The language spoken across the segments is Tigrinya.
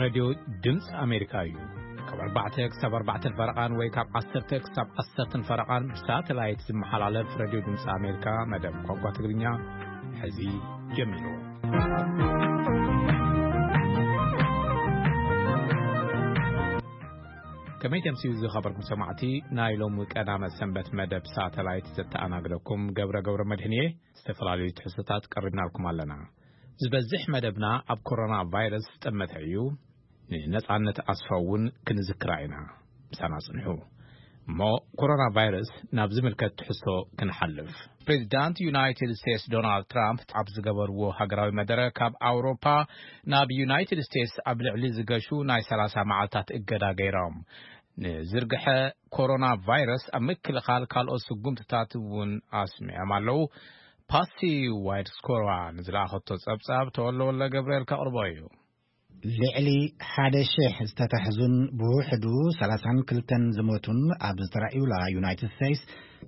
ሬድዮ ድምፂ ኣሜሪካ እዩ። ካብ ኣርባዕተ ክሳብ ኣርባዕተን ፈረቓን ወይ ካብ ዓሰርተ ክሳብ ዓሰርተን ፈረቓን ብሳተላይት ዝመሓላለፍ ሬድዮ ድምፂ ኣሜሪካ መደብ ቋንቋ ትግርኛ ሕዚ ጀሚሩ። ከመይ ተምስዩ ዝኸበርኩም ሰማዕቲ፣ ናይ ሎሚ ቀዳመ ሰንበት መደብ ሳተላይት ዘተኣናግደኩም ገብረ ገብረ መድህን እየ። ዝተፈላለዩ ትሕዝቶታት ቀሪብናልኩም ኣለና። ዝበዝሕ መደብና ኣብ ኮሮና ቫይረስ ዝጠመተ እዩ። ንነጻነት ኣስፋው እውን ክንዝክራ ኢና። ምሳና ጽንሑ። እሞ ኮሮና ቫይረስ ናብ ዝምልከት ትሕዝቶ ክንሓልፍ። ፕሬዚዳንት ዩናይትድ ስቴትስ ዶናልድ ትራምፕ ኣብ ዝገበርዎ ሃገራዊ መደረ ካብ ኣውሮፓ ናብ ዩናይትድ ስቴትስ ኣብ ልዕሊ ዝገሹ ናይ ሰላሳ መዓልታት እገዳ ገይሮም። ንዝርግሐ ኮሮና ቫይረስ ኣብ ምክልኻል ካልኦት ስጉምትታት እውን ኣስሚዖም ኣለዉ። ፓሲ ዋይድ ስኮራ ንዝለኣኸቶ ጸብጻብ ተወልደ ወልደ ገብርኤል ከቕርቦ እዩ። ልዕሊ ሓደ ሺሕ ዝተታሕዙን ብውሕዱ ሰላሳን ክልተን ዝሞቱን ኣብ ዝተራእዩላ ዩናይትድ ስቴትስ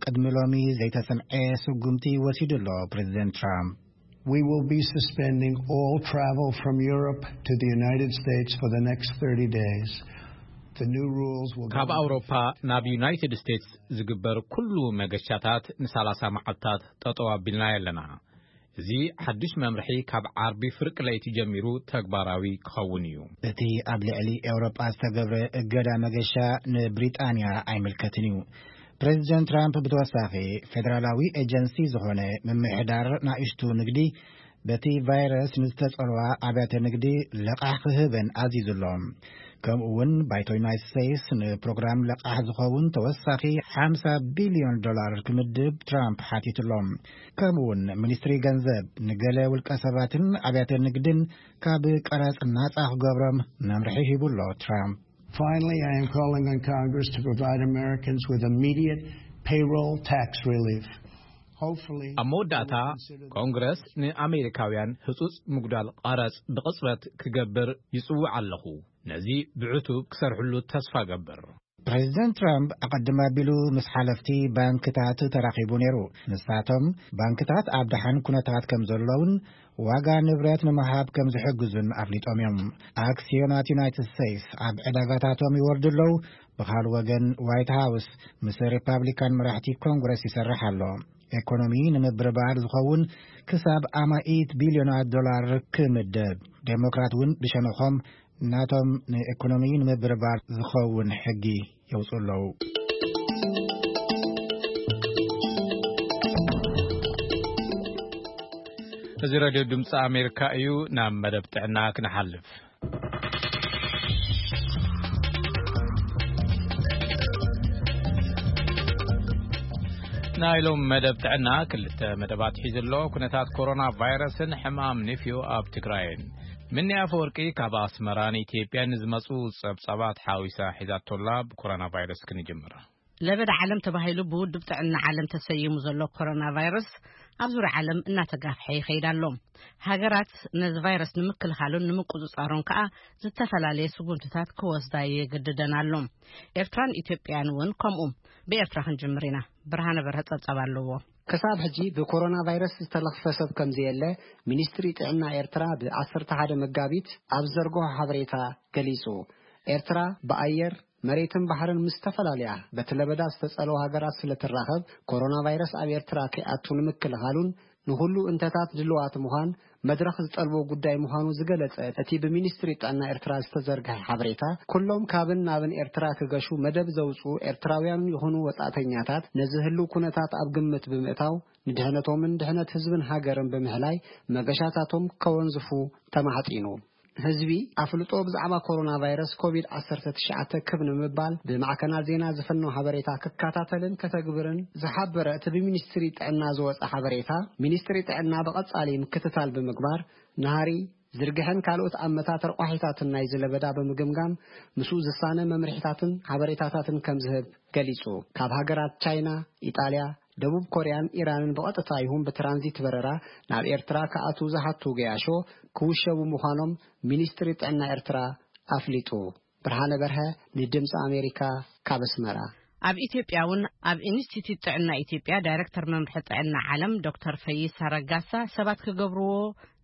ቅድሚ ሎሚ ዘይተሰምዐ ስጉምቲ ወሲዱ ኣሎ ፕሬዚደንት ትራምፕ። We will be suspending all travel from Europe to the United States for the next thirty days. The new rules will ካብ go into ኣውሮፓ ናብ ዩናይትድ ስቴትስ ዝግበር ኩሉ መገሻታት ንሳላሳ መዓልታት ጠጠው ኣቢልና ኣለና። እዚ ሓዱሽ መምርሒ ካብ ዓርቢ ፍርቂ ለይቲ ጀሚሩ ተግባራዊ ክኸውን እዩ። እቲ ኣብ ልዕሊ ኤውሮጳ ዝተገብረ እገዳ መገሻ ንብሪጣንያ ኣይምልከትን እዩ። ፕሬዚደንት ትራምፕ ብተወሳኺ ፌደራላዊ ኤጀንሲ ዝኾነ ምምሕዳር ናእሽቱ ንግዲ በቲ ቫይረስ ንዝተጸልዋ ኣብያተ ንግዲ ለቓሕ ክህበን ኣዚዙ ኣሎ። ከምኡ እውን ባይቶ ዩናይትድ ስቴትስ ንፕሮግራም ለቓሕ ዝኸውን ተወሳኺ ሓምሳ ቢልዮን ዶላር ክምድብ ትራምፕ ሓቲቱ ኣሎ። ከምኡ እውን ሚኒስትሪ ገንዘብ ንገለ ውልቀ ሰባትን ኣብያተ ንግድን ካብ ቀረጽ ናጻ ክገብሮም መምርሒ ሂቡ ኣሎ ትራምፕ። Finally, I am calling on Congress to provide Americans with immediate payroll tax relief. Hopefully, ኣብ መወዳእታ ኮንግረስ ንኣሜሪካውያን ህጹጽ ምጉዳል ቐረጽ ብቕጽበት ክገብር ይጽውዕ ኣለኹ። ነዚ ብዕቱብ ክሰርሕሉ ተስፋ ገብር። ፕሬዚደንት ትራምፕ ኣቐድም ኣቢሉ ምስ ሓለፍቲ ባንክታት ተራኺቡ ነይሩ። ንሳቶም ባንክታት ኣብ ደሓን ኩነታት ከም ዘለውን ዋጋ ንብረት ንምሃብ ከም ዝሕግዙን ኣፍሊጦም እዮም። ኣክሲዮናት ዩናይትድ ስቴትስ ኣብ ዕዳጋታቶም ይወርዱ ኣለዉ። ብኻልእ ወገን ዋይት ሃውስ ምስ ሪፓብሊካን መራሕቲ ኮንግረስ ይሰርሕ ኣሎ። ኤኮኖሚ ንምብርባር ዝኸውን ክሳብ ኣማኢት ቢልዮናት ዶላር ክምደብ። ዴሞክራት እውን ብሸነኾም ናቶም ንኤኮኖሚ ንምብርባር ዝኸውን ሕጊ የውፅኡ ኣለዉ። እዚ ሬድዮ ድምፂ ኣሜሪካ እዩ። ናብ መደብ ጥዕና ክንሓልፍ። ናይ ሎም መደብ ጥዕና ክልተ መደባት ሒዙ ኣሎ። ኩነታት ኮሮና ቫይረስን ሕማም ንፍዮ ኣብ ትግራይን። ምኒ ኣፈወርቂ ካብ ኣስመራ ንኢትዮጵያ ንዝመፁ ጸብጻባት ሓዊሳ ሒዛቶላ። ብኮሮና ቫይረስ ክንጅምር። ለበዳ ዓለም ተባሂሉ ብውድብ ጥዕና ዓለም ተሰይሙ ዘሎ ኮሮና ቫይረስ ኣብ ዙርያ ዓለም እናተጋፍሐ ይኸይድ ኣሎ። ሃገራት ነዚ ቫይረስ ንምክልኻሉን ንምቁጽጻሩን ከኣ ዝተፈላለየ ስጉምትታት ክወስዳ የግድደን ኣሎ። ኤርትራን ኢትዮጵያን እውን ከምኡ። ብኤርትራ ክንጅምር ኢና። ብርሃነ በርሀ ጸብጻብ ኣለዎ። ክሳብ ሕጂ ብኮሮና ቫይረስ ዝተለኽፈ ሰብ ከም ዘየለ ሚኒስትሪ ጥዕና ኤርትራ ብ ዓሰርተ ሓደ መጋቢት ኣብ ዘርግሖ ሓበሬታ ገሊጹ። ኤርትራ ብኣየር፣ መሬትን ባሕርን ምስ ዝተፈላለያ በቲ ለበዳ ዝጸለዋ ሃገራት ስለ ትራኸብ፣ ኮሮና ቫይረስ ኣብ ኤርትራ ከይኣቱ ንምክልኻሉን ንኹሉ እንተታት ድልዋት ምዃን መድረኽ ዝጠልቦ ጉዳይ ምዃኑ ዝገለጸ እቲ ብሚኒስትሪ ጥዕና ኤርትራ ዝተዘርግሐ ሓበሬታ፣ ኩሎም ካብን ናብን ኤርትራ ክገሹ መደብ ዘውጽኡ ኤርትራውያን ይኹኑ ወጻእተኛታት ነዚ ህሉው ኩነታት ኣብ ግምት ብምእታው፣ ንድሕነቶምን ድሕነት ህዝብን ሃገርን ብምሕላይ መገሻታቶም ከወንዝፉ ተማሕጺኑ። ህዝቢ ኣፍልጦ ብዛዕባ ኮሮና ቫይረስ ኮቪድ ዓሰርተ ትሽዓተ ክብ ንምባል ብማዕከናት ዜና ዝፍኖ ሓበሬታ ክከታተልን ከተግብርን ዝሓበረ እቲ ብሚኒስትሪ ጥዕና ዝወጸ ሓበሬታ፣ ሚኒስትሪ ጥዕና ብቐጻሊ ምክትታል ብምግባር፣ ናህሪ፣ ዝርግሐን ካልኦት ኣመታት ረቋሒታትን ናይዚ ለበዳ ብምግምጋም፣ ምስኡ ዝሳነ መምርሒታትን ሓበሬታታትን ከም ዝህብ ገሊጹ። ካብ ሃገራት ቻይና፣ ኢጣልያ፣ ደቡብ ኮርያን ኢራንን ብቐጥታ ይኹን ብትራንዚት በረራ ናብ ኤርትራ ክኣትዉ ዝሓቱ ገያሾ ክውሸቡ ምዃኖም ሚኒስትሪ ጥዕና ኤርትራ ኣፍሊጡ። ብርሃነ በርሀ ንድምፂ ኣሜሪካ ካብ ኣስመራ። ኣብ ኢትዮጵያ እውን ኣብ ኢንስቲትዩት ጥዕና ኢትዮጵያ ዳይሬክተር መምርሒ ጥዕና ዓለም ዶክተር ፈይሳ ረጋሳ ሰባት ክገብርዎ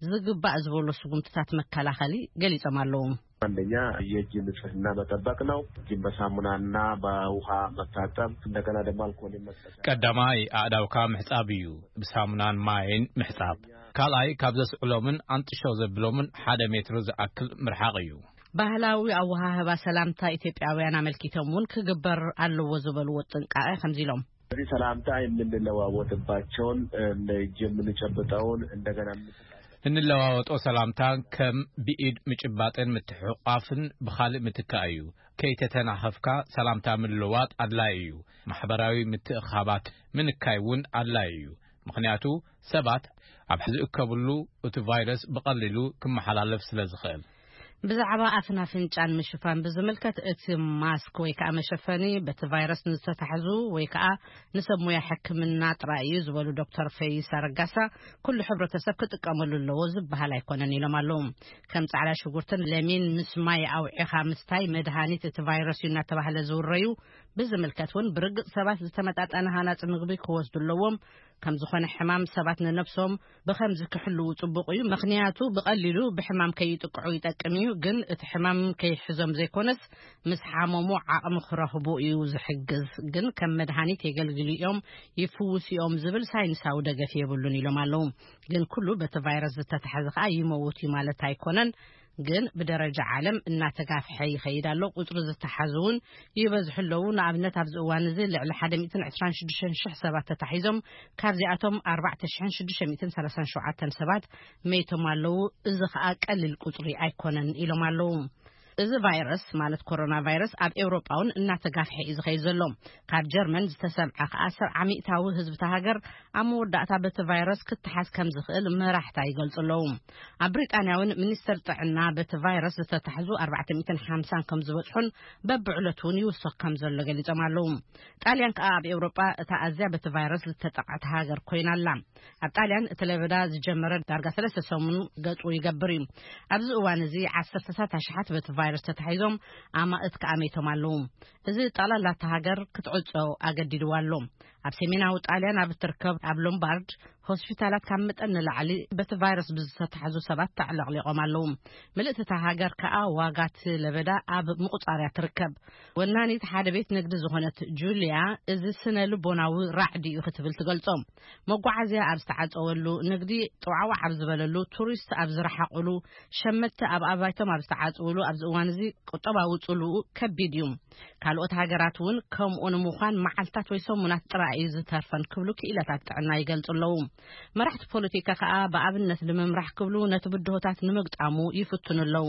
ዝግባእ ዝበሎ ስጉምትታት መከላኸሊ ገሊጾም ኣለዉ። አንደኛ የእጅ ንጽህና መጠበቅ ነው። እጅን በሳሙናና በውሃ መታጠብ፣ እንደገና ደግሞ አልኮል መጠቀም። ቀዳማይ ኣእዳውካ ምሕጻብ እዩ፣ ብሳሙናን ማይን ምሕጻብ። ካልኣይ ካብ ዘስዕሎምን ኣንጥሾ ዘብሎምን ሓደ ሜትሮ ዝኣክል ምርሓቕ እዩ። ባህላዊ ኣወሃህባ ሰላምታ ኢትዮጵያውያን ኣመልኪቶም እውን ክግበር ኣለዎ ዝበልዎ ጥንቃቄ ከምዚ ኢሎም። እዚህ ሰላምታ የምንለዋወጥባቸውን፣ እጅ የምንጨብጠውን፣ እንደገና እንለዋወጦ ሰላምታ ከም ብኢድ ምጭባጥን ምትሕቋፍን ብኻልእ ምትካእ እዩ። ከይተተናኸፍካ ሰላምታ ምልዋጥ ኣድላይ እዩ። ማሕበራዊ ምትእኻባት ምንካይ እውን ኣድላይ እዩ። ምኽንያቱ ሰባት ኣብ ዝእከብሉ እቲ ቫይረስ ብቐሊሉ ክመሓላለፍ ስለ ዝኽእል። ብዛዕባ ኣፍን ኣፍንጫን ምሽፋን ብዝምልከት፣ እቲ ማስክ ወይ ከዓ መሸፈኒ በቲ ቫይረስ ንዝተታሕዙ ወይ ከዓ ንሰብ ሙያ ሕክምና ጥራይ እዩ ዝበሉ ዶክተር ፈይሳ ረጋሳ፣ ኩሉ ሕብረተሰብ ክጥቀመሉ ኣለዎ ዝበሃል ኣይኮነን ኢሎም ኣለዉ። ከም ጻዕዳ ሽጉርትን ለሚን ምስ ማይ ኣውዒኻ ምስታይ መድሃኒት እቲ ቫይረስ እዩ እናተባህለ ዝውረዩ ብዝምልከት እውን ብርግጽ ሰባት ዝተመጣጠነ ሃናጺ ምግቢ ክወስዱ ኣለዎም። ከም ዝኾነ ሕማም ሰባት ንነብሶም ብኸምዚ ክሕልዉ ጽቡቕ እዩ። ምኽንያቱ ብቐሊሉ ብሕማም ከይጥቅዑ ይጠቅም እዩ። ግን እቲ ሕማም ከይሕዞም ዘይኮነስ ምስ ሓመሙ ዓቕሚ ክረኽቡ እዩ ዝሕግዝ። ግን ከም መድሃኒት የገልግሉ እዮም፣ ይፍውሱ እዮም ዝብል ሳይንሳዊ ደገፍ የብሉን ኢሎም ኣለዉ። ግን ኩሉ በቲ ቫይረስ ዝተታሕዘ ከኣ ይመውት እዩ ማለት ኣይኮነን። ግን ብደረጃ ዓለም እናተጋፍሐ ይኸይድ ኣሎ። ቁጽሪ ዝተሓዙ እውን ይበዝሑ ኣለዉ። ንኣብነት ኣብዚ እዋን እዚ ልዕሊ ሓደ ሚእትን ዕስራን ሽዱሽተን ሽሕ ሰባት ተታሒዞም፣ ካብዚኣቶም ኣርባዕተ ሽሕን ሽዱሽተ ሚእትን ሰላሳን ሸውዓተን ሰባት መይቶም ኣለዉ። እዚ ኸኣ ቀሊል ቁጽሪ ኣይኮነን ኢሎም ኣለዉ። እዚ ቫይረስ ማለት ኮሮና ቫይረስ ኣብ ኤውሮጳ እውን እናተጋፍሐ እዩ ዝኸይድ ዘሎ። ካብ ጀርመን ዝተሰምዐ ከኣ ስርዓ ሚእታዊ ህዝቢ እታ ሃገር ኣብ መወዳእታ በቲ ቫይረስ ክተሓዝ ከም ዝኽእል መራሕታ ይገልጹ ኣለዉ። ኣብ ብሪጣንያ እውን ሚኒስተር ጥዕና በቲ ቫይረስ ዝተታሕዙ ኣርባዕተ ሚእትን ሓምሳን ከም ዝበጽሑን በብዕለቱ እውን ይውሰኽ ከም ዘሎ ገሊጾም ኣለዉ። ጣልያን ከኣ ኣብ ኤውሮጳ እታ ኣዝያ በቲ ቫይረስ ዝተጠቕዐት ሃገር ኮይና ኣላ። ኣብ ጣልያን እቲ ለበዳ ዝጀመረ ዳርጋ ሰለስተ ሰሙን ገጹ ይገብር እዩ። ኣብዚ እዋን እዚ ዓሰርተታት ኣሽሓት በቲ ቫይረስ ተታሒዞም ኣማእት ከኣ መይቶም ኣለዉ። እዚ ጠቕላላ እታ ሃገር ክትዕጾ ኣገዲድዋ ኣሎ። ኣብ ሰሜናዊ ጣልያን ኣብ እትርከብ ኣብ ሎምባርድ ሆስፒታላት ካብ መጠን ንላዕሊ በቲ ቫይረስ ብዝተታሕዙ ሰባት ተዕለቕሊቖም ኣለዉ። ምልእቲ እታ ሃገር ከኣ ዋጋ እቲ ለበዳ ኣብ ምቑጻርያ ትርከብ። ወናኒት ሓደ ቤት ንግዲ ዝኾነት ጁልያ፣ እዚ ስነ ልቦናዊ ራዕዲ እዩ ክትብል ትገልጾ። መጓዓዝያ ኣብ ዝተዓጸወሉ፣ ንግዲ ጥዋዕዋዕ ኣብ ዝበለሉ፣ ቱሪስት ኣብ ዝረሓቑሉ፣ ሸመትቲ ኣብ ኣባይቶም ኣብ ዝተዓጽውሉ ኣብዚ እዋን እዚ ቁጠባዊ ጽልኡ ከቢድ እዩ። ካልኦት ሃገራት እውን ከምኡ ንምዃን መዓልታት ወይ ሰሙናት ጥራይ እዩ ዝተርፈን ክብሉ ክኢላታት ጥዕና ይገልጹ ኣለዉ። መራሕቲ ፖለቲካ ከኣ ብኣብነት ንምምራሕ ክብሉ ነቲ ብድሆታት ንምግጣሙ ይፍትኑ ኣለዉ።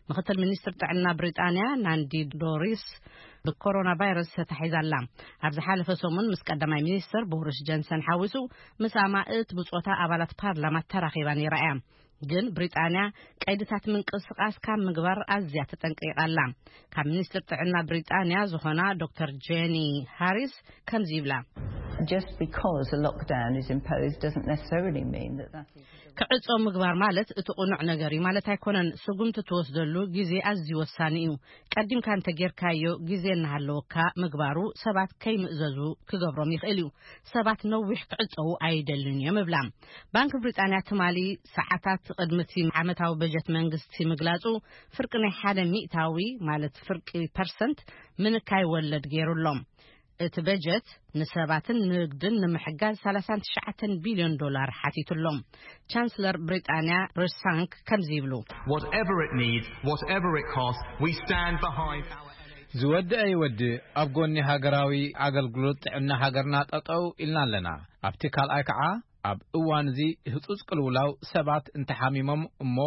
ምኽትል ሚኒስትር ጥዕና ብሪጣንያ ናንዲ ዶሪስ ብኮሮና ቫይረስ ተታሒዛ ኣላ። ኣብ ዝሓለፈ ሰሙን ምስ ቀዳማይ ሚኒስትር ቦሪስ ጆንሰን ሓዊሱ ምስ ኣማእት ብጾታ ኣባላት ፓርላማ ተራኺባ ነይራ እያ። ግን ብሪጣንያ ቀይድታት ምንቅስቓስ ካብ ምግባር ኣዝያ ተጠንቂቓ ኣላ። ካብ ሚኒስትር ጥዕና ብሪጣንያ ዝኾና ዶክተር ጄኒ ሃሪስ ከምዚ ይብላ። Just because a lockdown is imposed doesn't necessarily mean that that is ክዕጾ ምግባር ማለት እቲ ቅኑዕ ነገር እዩ ማለት ኣይኮነን። ስጉምቲ ትወስደሉ ግዜ ኣዝዩ ወሳኒ እዩ። ቀዲምካ እንተጌርካዮ ግዜ እናሃለወካ ምግባሩ ሰባት ከይምእዘዙ ክገብሮም ይኽእል እዩ። ሰባት ነዊሕ ክዕጸዉ ኣይደልን እዮም እብላ። ባንክ ብሪጣንያ ትማሊ ሰዓታት ቅድሚ እቲ ዓመታዊ በጀት መንግስቲ ምግላጹ ፍርቂ ናይ ሓደ ሚእታዊ ማለት ፍርቂ ፐርሰንት ምንካይ ወለድ ገይሩ ኣሎ። እቲ በጀት ንሰባትን ንግድን ንምሕጋዝ ሰላሳን ትሽዓተን ቢልዮን ዶላር ሓቲቱ ኣሎ። ቻንስለር ብሪጣንያ ሪሽ ሳንክ ከምዚ ይብሉ። Whatever it needs, whatever it costs, we stand behind our NHS. ዝወድእ ኣይወድእ ኣብ ጎኒ ሃገራዊ ኣገልግሎት ጥዕና ሃገርና ጠጠው ኢልና ኣለና። ኣብቲ ካልኣይ ከዓ ኣብ እዋን እዚ ህጹጽ ቅልውላው ሰባት እንተሓሚሞም እሞ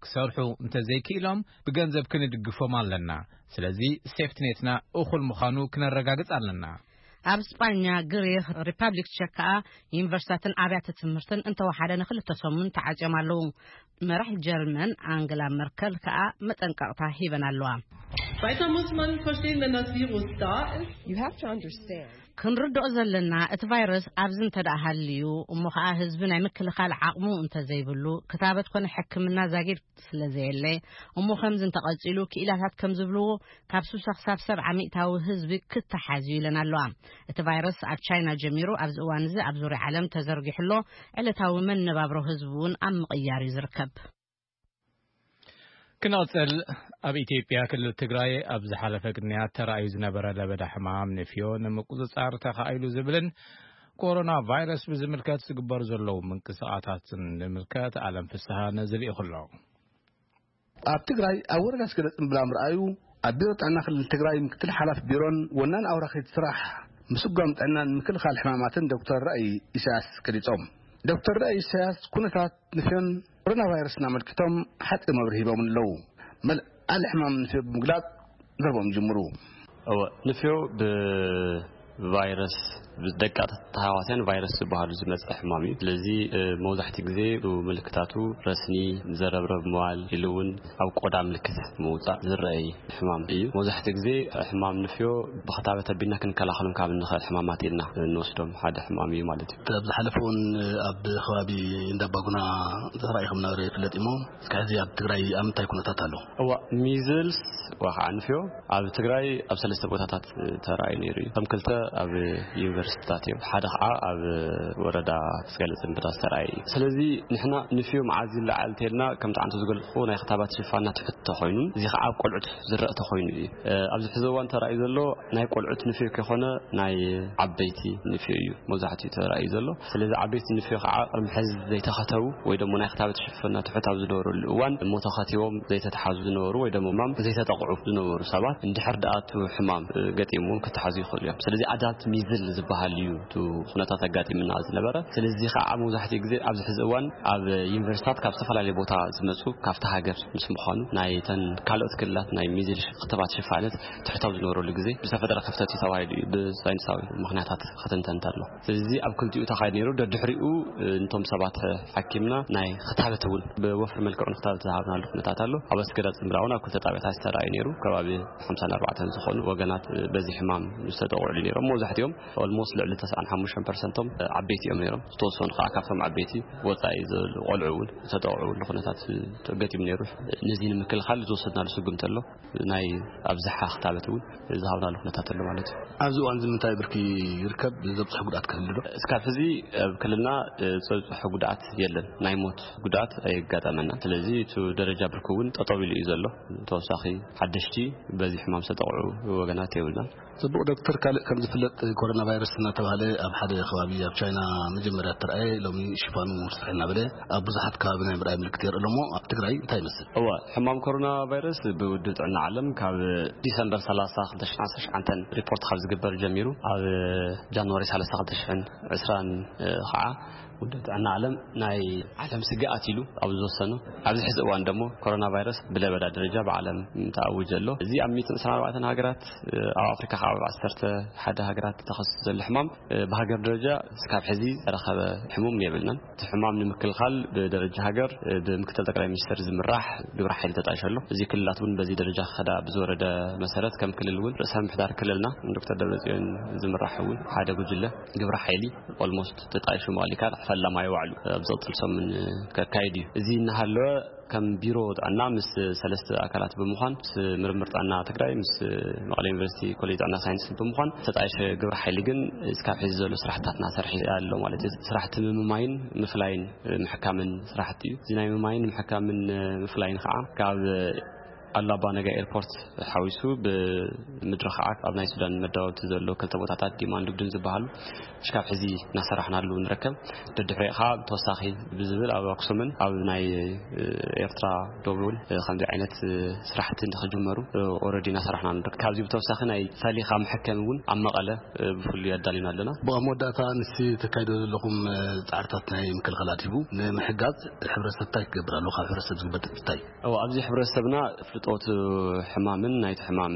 ክሰርሑ እንተዘይክኢሎም ብገንዘብ ክንድግፎም ኣለና። ስለዚ ሴፍትኔትና እኹል ምዃኑ ክነረጋግጽ ኣለና። ኣብ ስጳኛ፣ ግሪኽ፣ ሪፓብሊክ ቸክ ከኣ ዩኒቨርሲታትን ኣብያተ ትምህርትን እንተወሓደ ንክልተ ሰሙን ተዓጽዮም ኣለዉ። መራሕ ጀርመን ኣንግላ መርከል ከኣ መጠንቀቕታ ሂበን ኣለዋ። Weiter muss man verstehen, wenn das Virus da ist. You have to understand ክንርድኦ ዘለና፣ እቲ ቫይረስ ኣብዚ እንተ ደኣ ሃልዩ፣ እሞ ኸኣ ህዝቢ ናይ ምክልኻል ዓቕሙ እንተ ዘይብሉ፣ ክታበት ኮነ ሕክምና ዛጊድ ስለ ዘየለ፣ እሞ ከምዚ እንተቐጺሉ፣ ክኢላታት ከም ዝብልዎ፣ ካብ ስሳ ክሳብ ሰብዓ ሚእታዊ ህዝቢ ክተሓዝ እዩ ኢለን ኣለዋ። እቲ ቫይረስ ኣብ ቻይና ጀሚሩ፣ ኣብዚ እዋን እዚ ኣብ ዙርያ ዓለም ተዘርጊሑ ኣሎ። ዕለታዊ መነባብሮ ህዝቢ እውን ኣብ ምቕያር እዩ ዝርከብ። ክንቕጽል፣ ኣብ ኢትዮጵያ ክልል ትግራይ ኣብ ዝሓለፈ ቅንያት ተራእዩ ዝነበረ ለበዳ ሕማም ንፍዮ ንምቁጽጻር ተኻኢሉ ዝብልን ኮሮና ቫይረስ ብዝምልከት ዝግበር ዘለዉ ምንቅስቓሳትን ንምልከት ኣለም ፍስሃ ነዚ ልኢኹ ኣሎ። ኣብ ትግራይ ኣብ ወረዳ ስገደ ጽምብላ ምርኣዩ ኣብ ቢሮ ጥዕና ክልል ትግራይ ምክትል ሓላፊ ቢሮን ወናን ኣውራኺት ስራሕ ምስጓም ጥዕናን ምክልኻል ሕማማትን ዶክተር ራእይ ኢሳያስ ገሊጾም። ዶክተር ራእይ ኢሳያስ ኩነታት ንፍዮን ኮሮና ቫይረስን ኣመልኪቶም ሓጺር መብርሂ ሂቦም ኣለዉ። መልዓሊ ሕማም ንፍዮ ብምግላጽ ዘርቦም ይጅምሩ። እወ፣ ንፍዮ ብቫይረስ፣ ብደቃ ተሃዋስያን ቫይረስ ዝበሃሉ ዝመጽእ ሕማም እዩ። ስለዚ፣ እ፣ መብዛሕትኡ ግዜ ምልክታቱ ረስኒ፣ ዘረብረብ ምባል፣ ኢሉ እውን ኣብ ቆዳ ምልክት ምውጻእ ዝረኣይ ሕማም እዩ። መብዛሕትኡ ግዜ ሕማም ንፍዮ ብኽታበት ኣቢልና ክንከላኸሎም ካብ እንኽእል ሕማማት ኢልና እንወስዶም ሓደ ሕማም እዩ ማለት እዩ። ኣብ ዝሓለፈ እውን ኣብ ከባቢ እንዳባጉና ተራእዩ ከም ነበረ ይፍለጥ እሞ፣ እስከ ሕዚ ኣብ ትግራይ ኣብ ምንታይ ኩነታት ኣሎ? እዋ፣ ሚዝልስ ወይ ከዓ ንፍዮ ኣብ ትግራይ ኣብ ሰለስተ ቦታታት ተራእዩ ነይሩ እዩ። እቶም ክልተ ኣብ ዩኒቨርሲቲታት እዮም። ሓደ ከዓ ኣብ ወረዳ ስገለ ጽምብዳ ዝተራእየ እዩ። ስለዚ ንሕና ንፍዮ መዓዝ ይለዓል እንተልና፣ ከምቲ ዓንቶ ዝገልጽኩ ናይ ክታባት ሽፋና ትሕት ተኾይኑ፣ እዚ ከዓ ኣብ ቆልዑት ዝረአ ተኾይኑ እዩ። እ፣ ኣብዚ ሕዚ እዋን ተራእዩ ዘሎ ናይ ቆልዑት ንፍዮ ከይኮነ ናይ ዓበይቲ ንፍዮ እዩ መብዛሕትኡ ተራእዩ ዘሎ። ስለዚ ዓበይቲ ንፍዮ ከዓ ቅድሚ ሕዚ ዘይተኸተቡ ወይ ደሞ ናይ ክታበት ሽፍና ትሑት ኣብ ዝነበረሉ እዋን እሞ ተኸቲቦም ዘይተተሓዙ ዝነበሩ ወይ ደሞ ሕማም ዘይተጠቕዑ ዝነበሩ ሰባት እንድሕር ደኣ እቲ ሕማም፣ እ፣ ገጢምዎም ክተሓዙ ይኽእሉ እዮም። ስለዚ ኣዳት ሚዝል ዝበሃል እዩ እቲ ኩነታት ኣጋጢምና ዝነበረ። ስለዚ ከዓ መብዛሕትኡ ግዜ ኣብዚ ሕዚ እዋን ኣብ ዩኒቨርሲታት ካብ ዝተፈላለየ ቦታ ዝመጹ ካብቲ ሃገር ምስ ምዃኑ ናይተን ካልኦት ክልላት ናይ ሚዝል ሽ-፣ ክትባት ሽፋነት ትሕት ኣብ ዝነበረሉ ግዜ ዝተፈጠረ ክፍተት እዩ ተባሂሉ እዩ ብሳይንሳዊ ምኽንያታት ክትንተን እንተሎ። ስለዚ ኣብ ክልቲኡ ተኻይዱ ነይሩ። ደድሕሪኡ፣ እ፣ ነቶም ሰባት ሓኪምና ናይ ክታበት እውን ብወፍሪ መልክዑ ንክታበት ዝሃብናሉ ኩነታት ኣሎ። ኣብ ኣስገዳድ ጽምብራ እውን ኣብ ክልተ ጣብያታት ዝተረኣዩ ነይሩ። ከባቢ ሓምሳን ኣርባዕተን ዝኾኑ ወገናት፣ እ፣ በዚ ሕማም ዝተጠቕዑሉ ነይሮም። መብዛሕትኦም ኦልሞስት ልዕሊ ተስዓን ሓሙሽተን ፐርሰንቶም፣ እ፣ ዓበይቲ እዮም ነይሮም። ዝተወሰኑ ከዓ ካብቶም ዓበይቲ ወፃኢ ዘለዉ ቆልዑ እውን ዝተጠቕዑሉ ኩነታት፣ እ፣ ገጢሙ ነይሩ። ነዚ ንምክልኻል ዝወሰድናሉ ስጉምቲ ኣሎ። ናይ ኣብዝሓ ክታበት እውን ዝሃብናሉ ኩነታት ኣሎ ማለት እዩ። ኣብዚ እዋን እዚ ምንታይ ብርኪ ይርከብ? ዘብፅሑ ጉድኣት ክህሉ ዶ? እስካብ ሕዚ ኣብ ክልልና፣ እ፣ ዝበፅሑ ጉድኣት የለን። ናይ ሞት ጉድኣት ኣየጋጠመና። ስለዚ እቲ ደረጃ ብርኪ እውን ጠጠው ኢሉ እዩ ዘሎ። ተወሳኺ ሓደሽቲ በዚ ሕማም ዝተጠቕዑ ወገናት የብልናን። ጽቡቕ ዶክተር፣ ካልእ ከም ዝፍለጥ ኮሮና ቫይረስ እናተባህለ ኣብ ሓደ ከባቢ ኣብ ቻይና መጀመርያ እተርኣየ ሎሚ ሽፋኑ ርስሕ እናበለ ኣብ ብዙሓት ከባቢ ናይ ምርኣይ ምልክት የርኢ ኣሎ እሞ ኣብ ትግራይ እንታይ ይመስል? እወ፣ ሕማም ኮሮና ቫይረስ ብውድብ ጥዕና ዓለም ካብ ዲሰምበር ሰላሳ ክልተ ሽሕን ዓሰርተ ትሽዓተን ሪፖርት ካብ ዝግበር ጀሚሩ ኣብ ጃንዋሪ ሰላሳ ክልተ ሽሕን ዕስራን ከዓ ውድብ ጥዕና ዓለም ናይ ዓለም ስግኣት ኢሉ ኣብ ዝወሰኑ፣ ኣብዚ ሕዚ እዋን ደሞ ኮሮና ቫይረስ ብለበዳ ደረጃ ብዓለም ተኣውጀ ኣሎ። እዚ ኣብ ሚእትን ዕስራን ኣርባዕተን ሃገራት፣ ኣብ ኣፍሪካ ከዓ ኣብ ዓሰርተ ሓደ ሃገራት ተኸሲሱ ዘሎ ሕማም፣ ብሃገር ደረጃ እስካብ ሕዚ ዝተረኸበ ሕሙም የብልናን። እቲ ሕማም ንምክልኻል ብደረጃ ሃገር ብምክትል ጠቅላይ ሚኒስትር ዝምራሕ ግብረ ሓይሊ ተጣይሹ ኣሎ። እዚ ክልላት እውን በዚ ደረጃ ክኸዳ ብዝወረደ መሰረት ከም ክልል እውን ርእሰ ምምሕዳር ክልልና ዶክተር ደብረጽዮን ዝምራሕ እውን ሓደ ጉጅለ ግብረ ሓይሊ ኦልሞስት ተጣይሹ ማለት ይካል ፈላማይ ዋዕሉ ኣብ ዝቕፅል ሰሙን ከካይድ እዩ። እዚ እናሃለወ ከም ቢሮ ጥዕና ምስ ሰለስተ ኣካላት ብምዃን ምስ ምርምር ጥዕና ትግራይ ምስ መቐለ ዩኒቨርሲቲ ኮሌጅ ጥዕና ሳይንስ ብምዃን ተጣይሸ ግብረ ሓይሊ ግን እስካብ ሕዚ ዘሎ ስራሕትታት እናሰርሐ ኣሎ ማለት እዩ። ስራሕቲ ምምማይን ምፍላይን ምሕካምን ስራሕቲ እዩ። እዚ ናይ ምምማይን ምሕካምን ምፍላይን ከዓ ካብ ኣላባ ነጋ ኤርፖርት ሓዊሱ ብምድሪ ከዓ ኣብ ናይ ሱዳን መዳወብቲ ዘሎ ክልተ ቦታታት ዲማን ዱግድን ዝበሃሉ እስካብ ሕዚ እናሰራሕናሉ ንርከብ። ደድሕሪኡ ከዓ ብተወሳኺ ብዝብል ኣብ ኣክሱምን ኣብ ናይ ኤርትራ ዶብ እውን ከምዚ ዓይነት ስራሕቲ ንክጅመሩ ኦረዲ እናሰራሕና ንርከብ። ካብዚ ብተወሳኺ ናይ ፈሊኻ መሐከሚ እውን ኣብ መቐለ ብፍሉይ ኣዳሊና ኣለና። ብመወዳእታ ንሲ ተካይዶ ዘለኹም ፃዕርታት ናይ ምክልኸል ኣድሂቡ ንምሕጋዝ ሕብረተሰብ እንታይ ክገብር ኣለዎ? ካብ ሕብረተሰብ ዝግበር እንታይ? እዎ፣ ኣብዚ ሕብረተሰብና ፍልጦት ሕማምን ናይቲ ሕማም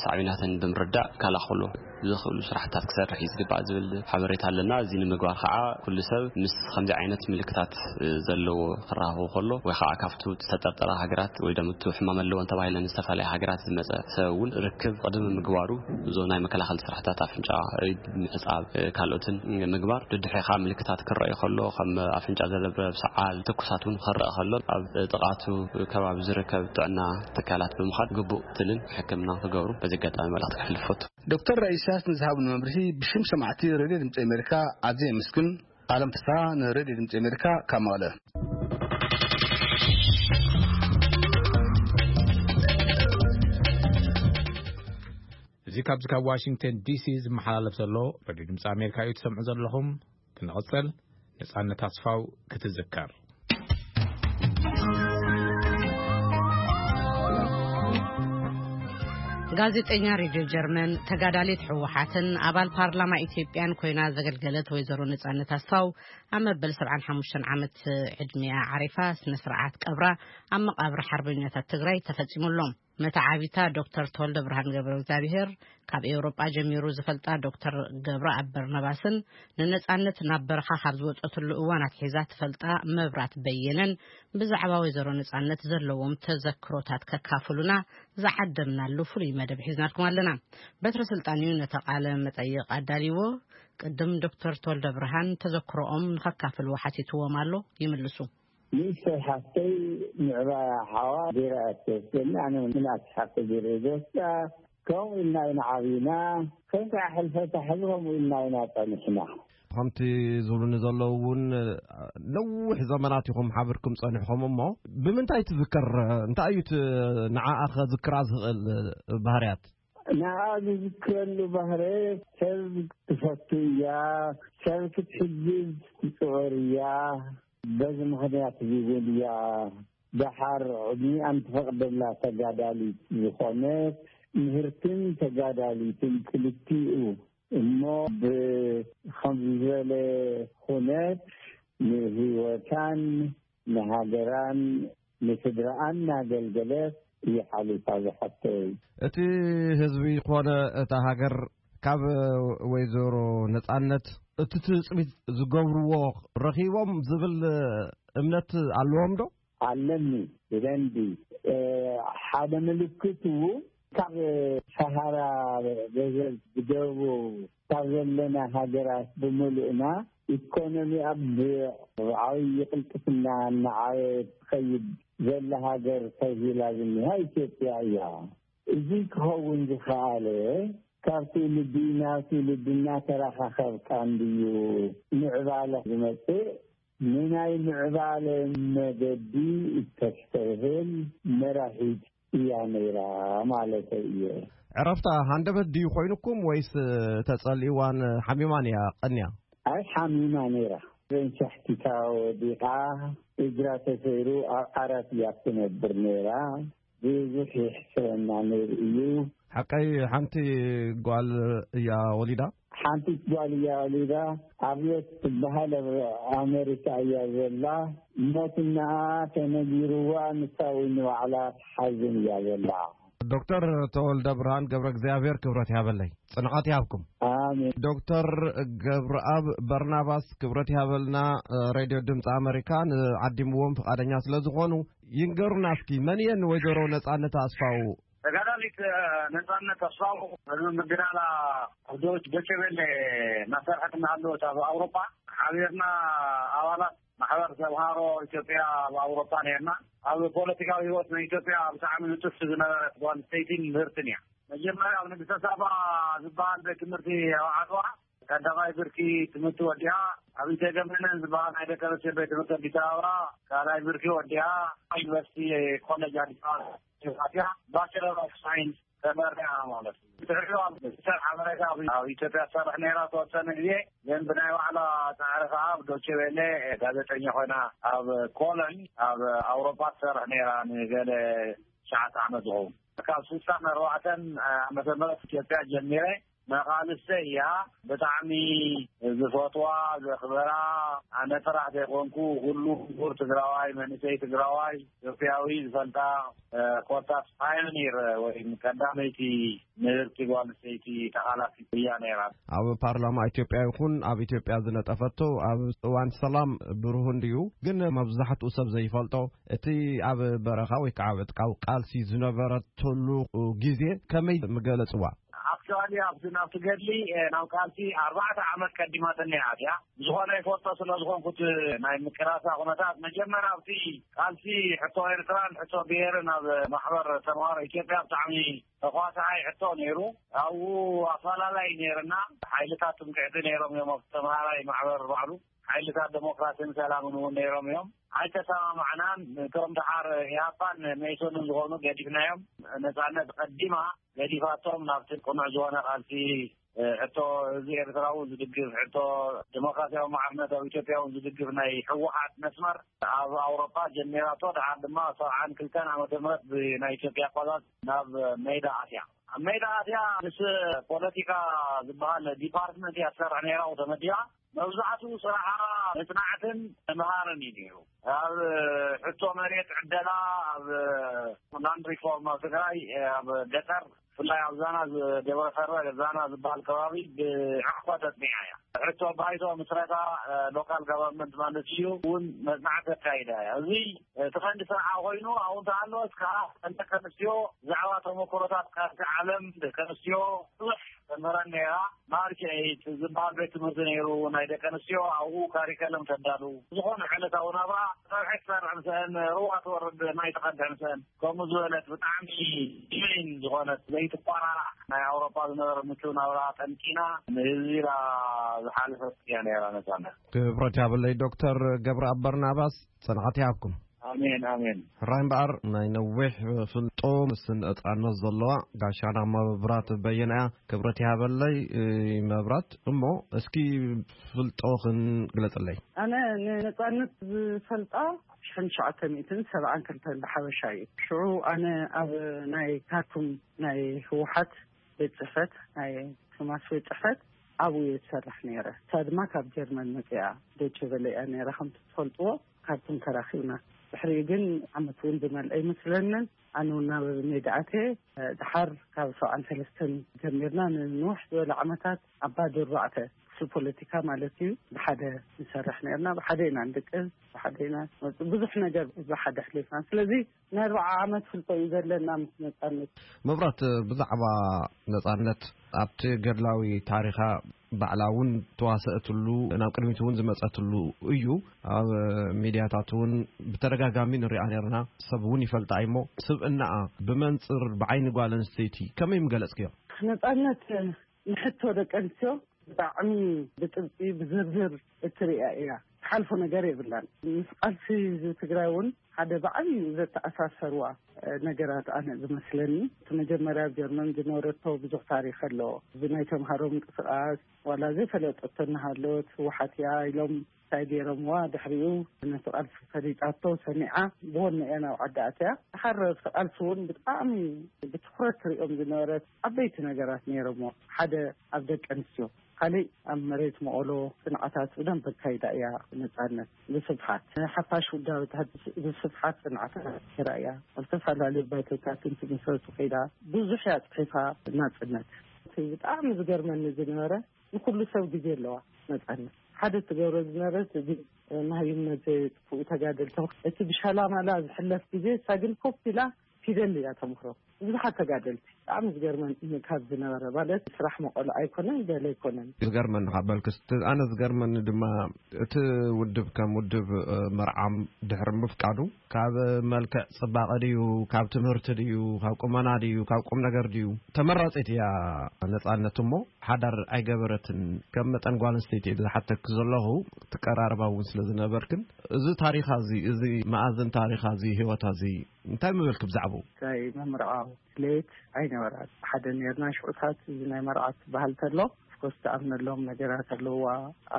ሳዕቤናትን ብምርዳእ ይከላኸሎ። ዘኽእሉ ስራሕታት ክሰርሕ እዩ ዝግባእ ዝብል ሓበሬታ ኣለና። እዚ ንምግባር ከዓ ኩሉ ሰብ ምስ ከምዚ ዓይነት ምልክታት ዘለዎ ክራኸቡ ከሎ ወይ ከዓ ካብቲ ዝተጠርጠረ ሃገራት ወይ ደምቱ ሕማም ኣለዎን ተባሂለን ዝተፈላለያ ሃገራት ዝመፀ ሰብ እውን ርክብ ቅድሚ ምግባሩ እዞ ናይ መከላኸሊ ስራሕታት ኣፍንጫ፣ ኢድ ምሕፃብ፣ ካልኦትን ምግባር፣ ድድሕሪ ከዓ ምልክታት ክረኣዩ ከሎ ከም ኣፍንጫ ዘለብረብ፣ ሰዓል፣ ትኩሳት እውን ክረአ ከሎ ኣብ ጥቓቱ ከባቢ ዝርከብ ጥዕና ትካላት ብምኻድ ግቡእ ክትትልን ሕክምና ክገብሩ በዚ ኣጋጣሚ መልእኽቲ ከሕልፍ እፈቱ። ዶክተር ራኢሳስ ንዝሃብኒ መብርሂ ብሽም ሰማዕቲ ሬድዮ ድምፂ ኣሜሪካ ኣዝየ የመስግን። ኣለም ፍስሃ ንሬድዮ ድምፂ ኣሜሪካ ካብ መቐለ። እዚ ካብዚ ካብ ዋሽንግተን ዲሲ ዝመሓላለፍ ዘሎ ሬድዮ ድምፂ ኣሜሪካ እዩ ትሰምዑ ዘለኹም። ክንቕፅል፣ ነፃነት ኣስፋው ክትዝከር። ጋዜጠኛ ሬድዮ ጀርመን፣ ተጋዳሊት ህወሓትን ኣባል ፓርላማ ኢትዮጵያን ኮይና ዘገልገለት ወይዘሮ ነፃነት ኣስፋው ኣብ መበል ሰብዓን ሓሙሽተን ዓመት ዕድሜኣ ዓሪፋ። ስነ ስርዓት ቀብራ ኣብ መቓብር ሓርበኛታት ትግራይ ተፈጺሙ ኣሎ። መተዓቢታ ዶክተር ተወልደ ብርሃን ገብረ እግዚኣብሔር፣ ካብ ኤውሮጳ ጀሚሩ ዝፈልጣ ዶክተር ገብረኣብ በርናባስን ንነጻነት ናብ በረኻ ካብ ዝወጸትሉ እዋን ኣትሒዛ ትፈልጣ መብራት በየነን ብዛዕባ ወይዘሮ ነጻነት ዘለዎም ተዘክሮታት ከካፍሉና ዝዓደምናሉ ፍሉይ መደብ ሒዝናልኩም ኣለና። በትረ ስልጣን እዩ ነቲ ቃለ መጠይቕ ኣዳልይዎ። ቅድም ዶክተር ተወልደ ብርሃን ተዘክሮኦም ንኸካፍልዎ ሓቲትዎም ኣሎ። ይምልሱ። ንእሽተይ ሓፍተይ ምዕባያ ሓዋ ገይራ እያ ትወስደኒ። ኣነ ምልኣት ሓፍተ ገይረ ዝወስዳ። ከምኡ ኢልና ኢና ዓብና። ከም ከዓ ሕልፈታ ሕዚ ከምኡ ኢልና ኢና ጸኒሕና። ከምቲ ዝብሉኒ ዘለዉ እውን ነዊሕ ዘመናት ኢኹም ሓብርኩም ጸኒሕኹም። እሞ ብምንታይ ትዝከር? እንታይ እዩ እቲ ንዓኣ ከዝክራ ዝኽእል ባህርያት? ንዓ ዝዝክረሉ ባህረ ሰብ ትፈቱ እያ፣ ሰብ ክትሕግዝ ትፅዕር እያ። በዚ ምኽንያት እዚ እውን እያ ደሓር ዕድሚኣን ትፈቕደላ ተጋዳሊት ዝኾነት ምህርትን ተጋዳሊትን ክልቲኡ እሞ ብኸምዚ ዝበለ ኩነት ንህይወታን ንሃገራን ንስድራኣን እናገልገለት እያ ሓሊፋ ዝሓተይ። እቲ ህዝቢ ኮነ እታ ሃገር ካብ ወይዘሮ ነጻነት እቲ ትጽቢት ዝገብርዎ ረኺቦም ዝብል እምነት ኣለዎም ዶ? ኣለኒ ብደንቢ። እ፣ ሓደ ምልክቱ ካብ ሰሃራ ገዘብ ብደቡብ ካብ ዘለና ሃገራት ብምሉእና ኢኮኖሚኣ ብዓብዪ ቅልጥፍና እናዓበየት ትኸይድ ዘላ ሃገር ተዝሂላ ዝኒሃ ኢትዮጵያ እያ። እዚ ክኸውን ዝኸኣለ ካብ ትውልዲ ናብ ትውልዲ እናተረኻኸብካ እንድዩ ምዕባለ ዝመጽእ። ንናይ ምዕባለ መገዲ እተስተብህል መራሒት እያ ነይራ ማለተይ እየ። ዕረፍታ ሃንደበት ድዩ ኮይኑኩም ወይስ ተጸሊእዋን ሓሚማን እያ ቀንያ? ኣይ ሓሚማ ነይራ። ሸሕቲታ ወዲቓ እግራ ተሰይሩ ኣብ ዓራት እያ ትነብር ነይራ። ብዙሕ ይሕስረና ነይሩ እዩ። ሓቀይ ሓንቲ ጓል እያ ወሊዳ? ሓንቲ ጓል እያ ወሊዳ። ኣብዮት ትበሃል ኣብ ኣሜሪካ እያ ዘላ። ሞትና ተነጊርዋ ንሳ እውን ንባዕላ ትሓዝን እያ ዘላ። ዶክተር ተወልደ ብርሃን ገብረ እግዚኣብሔር ክብረት ያበለይ፣ ጽንዓት ይሃብኩም። ኣሜን። ዶክተር ገብረኣብ በርናባስ ክብረት ይሃበልና። ሬድዮ ድምፂ ኣሜሪካ ንዓዲምዎም ፍቓደኛ ስለ ዝኾኑ ይንገሩና እስኪ፣ መን እየን ወይዘሮ ነጻነት ኣስፋው? ተጋዳሊት ነጻነት ኣስፋው ቅድሚ ምግዳላ ኣብ ዶች ዶቼ ቬለ እናሰርሐት እናሃለወት ኣብ ኣውሮፓ ሓቢርና ኣባላት ማሕበር ተምሃሮ ኢትዮጵያ ኣብ ኣውሮፓ ነርና። ኣብ ፖለቲካዊ ህይወት ናይ ኢትዮጵያ ብጣዕሚ ንጥፍቲ ዝነበረት ጓል ኣንስተይቲን ምህርትን እያ። መጀመርያ ኣብ ንግስተ ሳባ ዝበሃል ቤት ትምህርቲ ኣብ ዓድዋ ቀዳማይ ብርኪ ትምህርቲ ወዲኣ፣ ኣብ ኢተገመነን ዝበሃል ናይ ደቂ ኣንስትዮ ቤት ትምህርቲ ኣዲስ ኣበባ ካልኣይ ብርኪ ወዲኣ፣ ዩኒቨርሲቲ ኮሌጅ ኣዲስ ኣበባ ኣትያ ባቸለር ኦፍ ሳይንስ ተመሪዓ ማለት እዩ። ድሕሪኡ ኣብ ሚኒስተር ሓበሬታ ኣብ፣ ኣብ ኢትዮጵያ ትሰርሕ ነይራ ተወሰነ ግዜ፣ ግን ብናይ ባዕላ ጻዕሪ ከኣ ኣብ ዶቼ ቬለ ጋዜጠኛ ኮይና ኣብ ኮሎኝ ኣብ ኣውሮፓ ትሰርሕ ነይራ ንገለ ትሽዓተ ዓመት ዝኸውን። ካብ ስልሳን ኣርባዕተን ዓመተ ምህረት ኢትዮጵያ ጀሚረ መቓልሰይ እያ። ብጣዕሚ ዝፈትዋ፣ ዘኽበራ፣ ኣነ ጥራሕ ዘይኮንኩ፣ ኩሉ ምሁር ትግራዋይ፣ መንእሰይ ትግራዋይ፣ ኢትዮጵያዊ ዝፈልጣ፣ እ፣ ኮታስ ፓዮኒር ወይ ቀዳመይቲ ንብርቲ ጓል ኣንስተይቲ ተቓላሲት እያ ነይራ። ኣብ ፓርላማ ኢትዮጵያ ይኹን ኣብ ኢትዮጵያ ዝነጠፈቶ፣ ኣብ እዋን ሰላም ብሩህ እንድዩ፣ ግን መብዛሕትኡ ሰብ ዘይፈልጦ፣ እቲ ኣብ በረኻ ወይ ከዓ ኣብ ዕጥቃዊ ቃልሲ ዝነበረትሉ ግዜ ከመይ ምገለጽዋ? ኣክቹዋሊ ኣብቲ ናብቲ ገድሊ፣ እ፣ ናብ ቃልሲ ኣርባዕተ ዓመት ቀዲማትኒ እያ። ብዝኾነ ይፈልጦ ስለ ዝኾንኩት ናይ ምቅላሳ ኩነታት፣ መጀመርያ ኣብቲ ቃልሲ ሕቶ ኤርትራን ሕቶ ብሄርን ኣብ ማሕበር ተምሃሮ ኢትዮጵያ ብጣዕሚ ተኳሳዓይ ሕቶ ነይሩ። ኣብኡ ኣፈላላይ ነይርና። ሓይልታት ትምክሕቲ ነይሮም እዮም ኣብቲ ተምሃራይ ማሕበር ባዕሉ። ሓይልታት ዴሞክራሲን ሰላምን እውን ነይሮም እዮም። ኣይተሰማማዕናን። እቶም ደሓር ኢህኣፓን መኢሶንን ዝኾኑ ገዲፍናዮም። ነጻነት ቀዲማ ገዲፋቶም ናብቲ ቅኑዕ ዝኾነ ቃልሲ፣ እ፣ ሕቶ ህዝቢ ኤርትራ እውን ዝድግፍ፣ ሕቶ ዴሞክራሲያዊ ማዕርነት ኣብ ኢትዮጵያ እውን ዝድግፍ ናይ ህወሓት መስመር ኣብ ኣውሮፓ ጀሚራቶ፣ ደሓር ድማ ሰብዓን ክልተን ዓመተ ምህረት ብናይ ኢትዮጵያ ኣቆጻጽራ ናብ ሜዳ ኣትያ። ኣብ ሜዳ ኣትያ ምስ ፖለቲካ ዝበሃል ዲፓርትመንት እያ ትሰርሕ ነይራ፣ ተመዲባ። መብዛሕትኡ ስራሓ መጽናዕትን ምምሃርን እዩ ነይሩ። ኣብ ሕቶ መሬት ዕደላ፣ ኣብ ላንድ ሪፎርም ኣብ ትግራይ፣ ኣብ ገጠር፣ ብፍላይ ኣብ ዛና ዝ-፣ ደብረ ከርበ ዛና ዝበሃል ከባቢ ብዕቕባ ተጽኒዓ እያ። ሕቶ ባይቶ ምስረታ፣ እ፣ ሎካል ጋቨርንመንት ማለት እዩ፣ እውን መጽናዕቲ ኣካይዳ እያ። እዚ እቲ ቀንዲ ስርሓ ኮይኑ፣ ኣብኡ እንተሃለወስ ከዓ ደቂ ኣንስትዮ ብዛዕባ ተመክሮታት ካልሲ ዓለም ደቂ ኣንስትዮ ብዙሕ ተምህረን ነይራ። ማርች ኤይት ዝበሃል ቤት ትምህርቲ ነይሩ ናይ ደቂ ኣንስትዮ፣ ኣብኡ ካሪከለም ተዳሉ። ዝኾነ ዕለታዊ ናብራ፣ ፀብሒ ትሰርሕ ምስአን፣ ሩባ ትወርድ፣ ማይ ትቐድሕ ምስአን፣ ከምኡ ዝበለት ብጣዕሚ ሂዩሜን ዝኾነት ዘይትቋራራዕ ናይ ኣውሮፓ ዝነበረ ምቹው ናብራ ጠንቂና ንህዝቢ ኢላ ዝሓለፈት እያ ነይራ ነፃነት። ክብረት ያብለይ ዶክተር ገብረኣብ በርናባስ፣ ጽንዓት ይሃብኩም። ኣሜን፣ ኣሜን። ሕራይ እምበኣር፣ ናይ ነዊሕ ፍልጦ ምስ ነጻነት ዘለዋ ጋሻና መብራት በየነ እያ። ክብረት ይሃበለይ፣ እ፣ መብራት። እሞ እስኪ ፍልጦኽን ግለጽለይ። ኣነ ንነጻነት ዝፈልጣ ሽሕን ትሽዓተ ሚእትን ሰብዓን ክልተን ብሓበሻ እዩ። ሽዑ ኣነ ኣብ ናይ ካርቱም ናይ ህወሓት ቤት ጽሕፈት፣ ናይ ቶማስ ቤት ጽሕፈት ኣብኡ እየ ዝሰርሕ ነይረ። እሳ ድማ ካብ ጀርመን መጺኣ ዶይቸ ቨለ እያ ነይራ። ከምቲ ትፈልጥዎ፣ ካርቱም ተራኺብና። ድሕሪኡ ግን ዓመት እውን ዝመልአ ኣይመስለንን። ኣነ እውን ናብ ሜዳ ኣትየ። ድሓር ካብ ሰብዓን ሰለስተን ጀሚርና ንንውሕ ዝበለ ዓመታት ኣብ ባዶ ኣርባዕተ፣ ክፍሊ ፖለቲካ ማለት እዩ፣ ብሓደ ንሰርሕ ነርና። ብሓደ ኢና ንድቅስ፣ ብሓደ ኢና ንወጽእ። ብዙሕ ነገር ብሓደ ኣሕሊፍና። ስለዚ ናይ ኣርብዓ ዓመት ፍልጦ እዩ ዘለና ምስ ነጻነት። መብራት፣ ብዛዕባ ነጻነት ኣብቲ ገድላዊ ታሪኻ ባዕላ እውን ተዋሰእትሉ፣ ናብ ቅድሚት እውን ዝመጸትሉ እዩ። ኣብ ሚድያታት እውን ብተደጋጋሚ ንሪኣ ነርና፣ ሰብ እውን ይፈልጣ እሞ፣ ስብእናኣ ብመንጽር ብዓይኒ ጓል ኣንስተይቲ ከመይ ምገለጽክዮ? ነጻነት ንሕቶ ደቂ ኣንስትዮ ብጣዕሚ ብጥብቂ ብዝርዝር እትሪኣ እያ። ትሓልፎ ነገር የብላን። ምስ ቃልሲ ህዝቢ ትግራይ እውን ሓደ ብዓብዩ ዘተኣሳሰርዋ፣ እ፣ ነገራት ኣነ ዝመስለኒ፣ እቲ መጀመርያ ኣብ ጀርመን ዝነበረቶ ብዙሕ ታሪኽ ኣሎ። እዚ ናይ ተምሃሮ ምንቅስቃስ ዋላ ዘይፈለጠቶ እናሃለወት ህወሓት እያ ኢሎም እንታይ ገይሮምዋ፣ ድሕሪኡ ነቲ ቃልሲ ፈሊጣቶ ሰሚዓ ብወነ እያ ናብ ዓዲ ኣትያ። ድሓር ኣብቲ ቃልሲ እውን ብጣዕሚ ብትኹረት ትሪኦም ዝነበረት ዓበይቲ ነገራት ነይሮምዎ። ሓደ ኣብ ደቂ ኣንስትዮ፣ ካሊእ ኣብ መሬት መቐሎ ጽንዓታት ብደንብ ኣካይዳ እያ ነጻነት። ብስፍሓት ሓፋሽ ውዳበታት ብስፍሓት ጽንዓታት ነይራ እያ። ኣብ ዝተፈላለዩ ባይቶታት እንትምስረቱ ከይዳ ብዙሕ እያ ጽሒፋ ናጽነት። እቲ ብጣዕሚ ዝገርመኒ ዝነበረ፣ ንኩሉ ሰብ ግዜ ኣለዋ ነጻነት። ሓደ ትገብሮ ዝነበረት፣ እዚ መሃይምነት ዘየጥፍኡ ተጋደልቲ፣ እቲ ብሻላማላ ዝሕለፍ ግዜ፣ እሳ ግን ኮፍ ኢላ ፊደል እያ ተምክሮ። ብዙሓት ተጋደልቲ። ብጣዕሚ ዝገርመኒ ካብ ዝነበረ፣ ማለት ስራሕ መቐሎ ኣይኮነን፣ ገለ ኣይኮነን። ዝገርመኒ ካብ በልክስ፣ ኣነ ዝገርመኒ ድማ እቲ ውድብ ከም ውድብ፣ እ፣ መርዓም ድሕሪ ምፍቃዱ፣ ካብ መልክዕ ጽባቐ ድዩ፣ ካብ ትምህርቲ ድዩ፣ ካብ ቁመና ድዩ፣ ካብ ቁም ነገር ድዩ፣ ተመራጺት እያ ነጻነት። እሞ ሓዳር ኣይገበረትን። ከም መጠን ጓል ኣንስተይቲ ዝሓተኪ ዘለኹ፣ ትቀራረባ እውን ስለ ዝነበርክን፣ እዚ ታሪኻ እዚ፣ እዚ መኣዝን ታሪኻ እዚ፣ ህይወታ እዚ፣ እንታይ ምበልክ ብዛዕባኡ? ናይ ምምርዓው ድሌት ኣይነበራን። ሓደ ነርና ሽዑታት፣ እዚ ናይ መርዓት ባህል ተሎ፣ ኮስ ትኣምነሎም ነገራት ኣለዋ።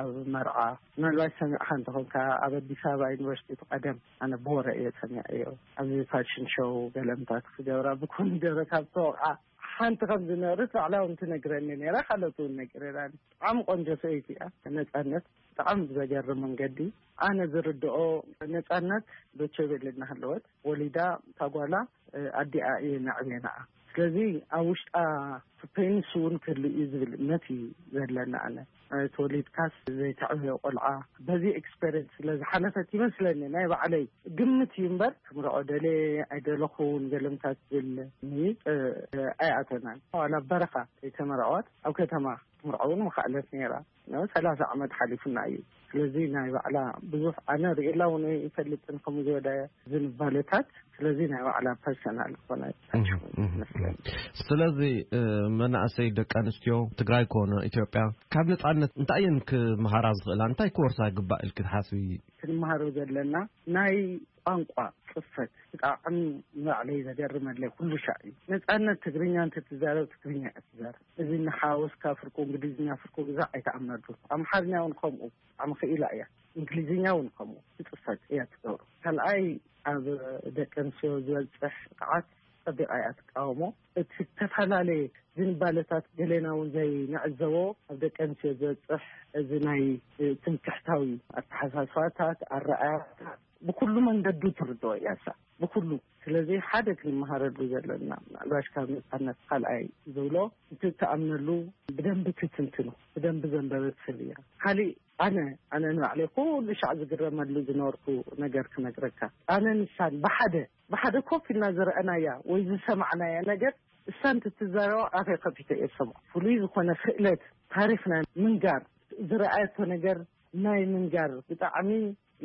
ኣብ መርዓ ምናልባት ሰሚዕካ እንተኾንካ፣ ኣብ ኣዲስ ኣበባ ዩኒቨርሲቲ እቲ ቀደም፣ ኣነ ብወረ እየ ሰሚዐዮ፣ ኣብዚ ፋሽን ሾው ገለምታት ክገብራ ብኮሚደረ ካብ ተወቕዓ ሓንቲ ከም ዝነበረት ባዕላ እውን ትነግረኒ ነይራ። ካልኦት እውን ነጊረናኒ። ብጣዕሚ ቆንጆ ሰበይቲ እያ። ነፃነት ብጣዕሚ ብዘገርም መንገዲ፣ ኣነ ዝርድኦ፣ ነፃነት ዶቼ ቬለ እናሃለወት ወሊዳ፣ እታ ጓላ ኣዲኣ እየ ነዕብየናኣ። ስለዚ ኣብ ውሽጣ ፔንስ እውን ክህሉ እዩ ዝብል እምነት እዩ ዘለና። ኣነ ተወሊድካስ ዘይተዕብዮ ቆልዓ በዚ ኤክስፔሪንስ ስለ ዝሓለፈት ይመስለኒ፣ ናይ ባዕለይ ግምት እዩ እምበር፣ ክምርዖ ደለ ኣይደለኹን ገለምታት ዝብል ምይጥ ኣይኣተናን። ዋላ በረኻ ዘይተመርዐዋት ኣብ ከተማ ክትምርዖ እውን ምኽኣለት ነይራ። ሰላሳ ዓመት ሓሊፉና እዩ። ስለዚ ናይ ባዕላ ብዙሕ ኣነ ርእላ እውን ይፈልጥን ከምኡ ዝበለ ዝንባለታት። ስለዚ ናይ ባዕላ ፐርሰናል ዝኾነ ይመስለኒ። ስለዚ መናእሰይ ደቂ ኣንስትዮ ትግራይ ኮነ ኢትዮጵያ ካብ ነፃነት እንታይ እየን ክመሃራ ዝኽእላ? እንታይ ክወርሳ ይግባእ ኢልክ ትሓስቢ? ክንመሃሮ ዘለና ናይ ቋንቋ ጽፈት ብጣዕሚ ንባዕለይ ዘገርመለይ ኩሉ ሻዕ እዩ። ነፃነት ትግርኛ እንተትዛረብ ትግርኛ እያ ትዛረብ። እዚ እናሓወስካ ፍርቁ እንግሊዝኛ ፍርቁ ግዛዕ ኣይተኣምነሉ። ኣምሓርኛ እውን ከምኡ ብጣዕሚ ክኢላ እያ። እንግሊዝኛ እውን ከምኡ ትፅፈት እያ ትገብሮ። ካልኣይ ኣብ ደቂ ኣንስትዮ ዝበፅሕ ጥቃዓት ፀቢቃ እያ ትቃወሞ። እቲ ዝተፈላለየ ዝንባለታት ገሌና እውን ዘይንዕዘቦ ኣብ ደቂ ኣንስትዮ ዝበፅሕ እዚ ናይ ትምክሕታዊ ኣተሓሳስባታት ኣረኣያታት ብኩሉ መንገዱ ትርድኦ እያ እሳ ብኩሉ። ስለዚ ሓደ ክንመሃረሉ ዘለና ምናልባሽ ካብ ነፃነት ካልኣይ ዝብሎ እቲ ትኣምነሉ ብደንቢ ትትንትኖ ብደንቢ ዘንበበት ሰብ እያ። ካሊእ ኣነ ኣነ ንባዕለይ ኩሉ ሻዕ ዝግረመሉ ዝነበርኩ ነገር ክነግረካ። ኣነ ንሳን ብሓደ ብሓደ ኮፍ ኢልና ዝረኣናያ ወይ ዝሰማዕናያ ነገር እሳ እንትትዛረባ ኣፈይ ከፊተ እየ ዝሰምዖ። ፍሉይ ዝኾነ ክእለት ታሪኽና ምንጋር ዝረኣየቶ ነገር ናይ ምንጋር ብጣዕሚ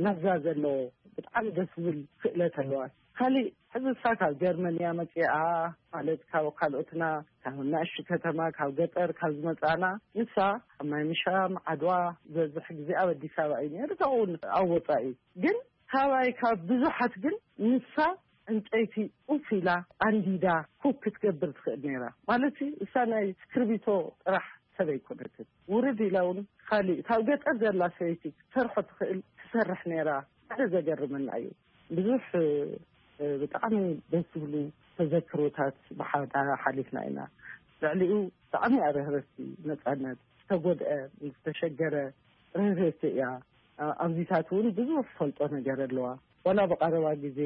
ለዛ ዘለዎ ብጣዕሚ ደስ ዝብል ክእለት ኣለዋ። ካሊእ ሕዚ እሳ ካብ ጀርመን እያ መፂኣ ማለት ካብ ካልኦትና ካብ ናእሽቱ ከተማ ካብ ገጠር ካብ ዝመፃና ንሳ ኣብ ማይ ምሻም ዓድዋ ዝበዝሕ ግዜ ኣብ ኣዲስ ኣበባ እዩ ነይሩ። ካብኡ እውን ኣብ ወፃኢ ግን ካባይ ካብ ብዙሓት ግን ንሳ ዕንጨይቲ ኡፍ ኢላ ኣንዲዳ ኩክ ክትገብር ትኽእል ነይራ ማለት እዩ። እሳ ናይ እስክርቢቶ ጥራሕ ሰብ ኣይኮነትን። ውርድ ኢላ እውን ካሊእ ካብ ገጠር ዘላ ሰበይቲ ክትሰርሖ ትኽእል ትሰርሕ ነይራ። ሓደ ዘገርመና እዩ። ብዙሕ ብጣዕሚ ደስ ዝብሉ ተዘክሮታት ብሓዳ ሓሊፍና ኢና። ልዕሊኡ ብጣዕሚ ኣርህረቲ ነፃነት ዝተጎድአ ዝተሸገረ ርህርህቲ እያ። ኣብዚታት እውን ብዙሕ ፈልጦ ነገር ኣለዋ። ወላ ብቀረባ ግዜ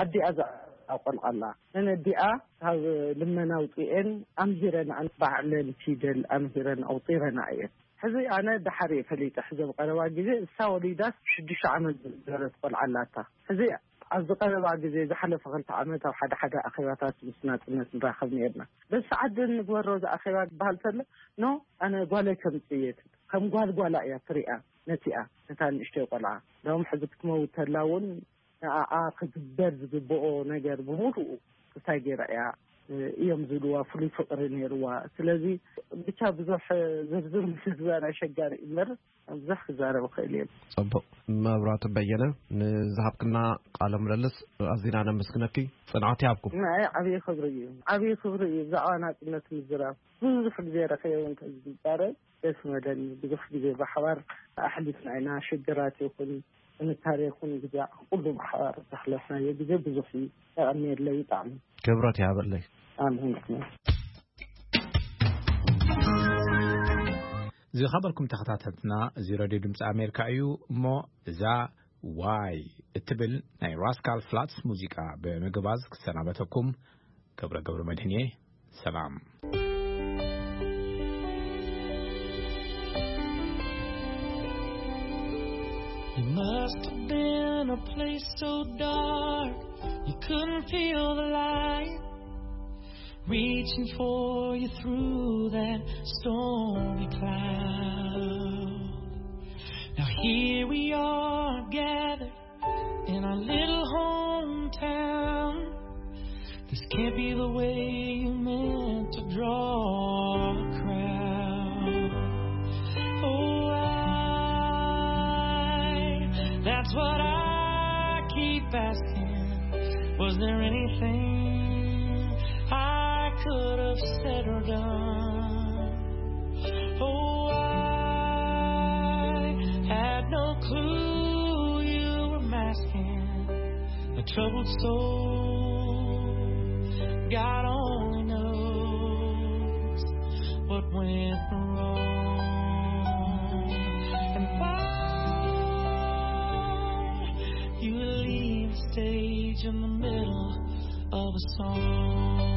ኣዲኣ ዘቆልዓላ ነነዲኣ ካብ ልመና ኣውፅኤን ኣምሂረን ባዕለን ፊደል ኣምሂረን ኣውፂረና እየን። ሕዚ ኣነ ድሓር እየ ፈሊጠ። ሕዚ ብቀረባ ግዜ እሳ ወሊዳስ ሽዱሽተ ዓመት ዝበረት ቆልዓ ኣላታ። ሕዚ ኣብዚ ቀረባ ግዜ ዝሓለፈ ክልተ ዓመት ኣብ ሓደ ሓደ ኣኼባታት ምስ ናፅነት ንራኸብ ነርና። በዚ ሰዓት ግን ንግበሮ ዝኣኼባ ዝበሃል ተሎ ኖ ኣነ ጓለይ ከምፅእ እየ ትብል። ከም ጓል ጓላ እያ ትሪኣ ነቲኣ ነታ ንእሽተይ ቆልዓ። ሎም ሕዚ ክትመውት ተላ እውን ንኣኣ ክግበር ዝግብኦ ነገር ብምሉኡ እንታይ ገይራ እያ እዮም ዝብልዋ ፍሉይ ፍቅሪ ነይርዋ። ስለዚ ብቻ ብዙሕ ዝርዝር ምስዛን ኣሸጋሪ እምበር ብዙሕ ክዛረብ ክእል እየ። ፅቡቅ። መብራቱ በየነ ንዝሃብክና ቃለ ምልልስ ኣዚና ነመስግነኪ። ፅንዓት ይሃብኩም። ናይ ዓብዪ ክብሪ እዩ። ዓብዪ ክብሪ እዩ ብዛዕባ ናፅነት ምዝራብ። ብዙሕ ግዜ ረኸየ እውን ተዝዛረብ ደስ መደኒ። ብዙሕ ግዜ ብሓባር ኣሕሊፍና ኢና። ሽግራት ይኹን ጥንካሬ ይኹን ግዜ ኩሉ ብሓባር ዘሕለፍናዮ ግዜ ብዙሕ እዩ። የቐንየለይ ብጣዕሚ። ክብረት ይሃበለይ። ኣሜን። ዝኸበርኩም ተኸታተልትና፣ እዚ ሬድዮ ድምፂ ኣሜሪካ እዩ። እሞ እዛ ዋይ እትብል ናይ ራስካል ፍላትስ ሙዚቃ ብምግባዝ ክሰናበተኩም ገብረ ገብረ መድህን እየ። ሰላም። You must have been a place so dark you couldn't feel the light reaching for you through that stormy cloud. Now here we are gathered in our little hometown. This can't be the way you meant to draw a crowd. Oh, I, that's what I keep asking. Was there anything I could have said or done? Oh, Clue you were masking a troubled soul. God only knows what went wrong and why you leave the stage in the middle of a song.